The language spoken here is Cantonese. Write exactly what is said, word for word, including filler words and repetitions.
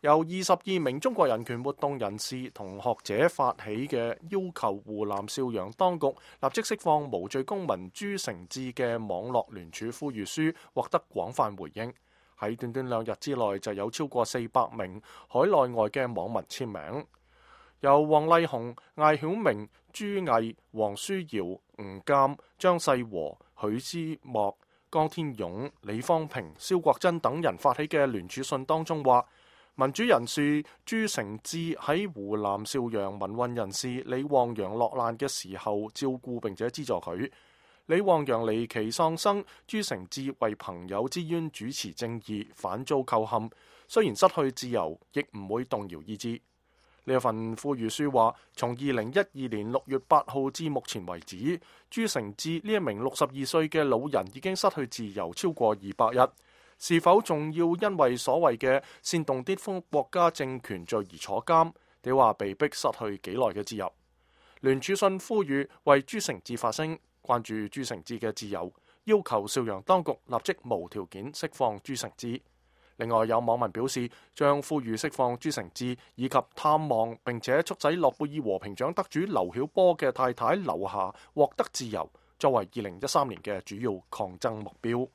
由二十二名中國人權活動人士同學者發起嘅要求湖南邵陽當局立即釋放無罪公民朱成志嘅網絡聯署呼籲書獲得廣泛回應，喺短短兩日之內就有超過四百名海內外嘅網民簽名。由黃麗紅、艾曉明、朱毅、黃舒瑤、吳鑑、張世和、許之莫、江天勇、李方平、蕭國珍等人發起嘅聯署信當中話，民主人士朱成志喺湖南邵陽民運人士李旺陽落難嘅時候照顧並且資助佢。李旺陽離奇喪生，朱成志為朋友之冤主持正義，反遭構陷。雖然失去自由，亦唔會動搖意志。呢一份呼籲書話，從二零一二年六月八號至目前為止，朱成志呢一名六十二歲嘅老人已經失去自由超過二百日。是否仲要因為所謂嘅煽動顛覆國家政權罪而坐監？你話被逼失去幾耐嘅自由？聯署信呼籲為朱成志發聲，關注朱成志嘅自由，要求邵陽當局立即無條件釋放朱成志。另外有網民表示，將呼籲釋放朱成志以及探望並且促使諾貝爾和平獎得主劉曉波嘅太太劉霞獲得自由，作為二零一三年嘅主要抗爭目標。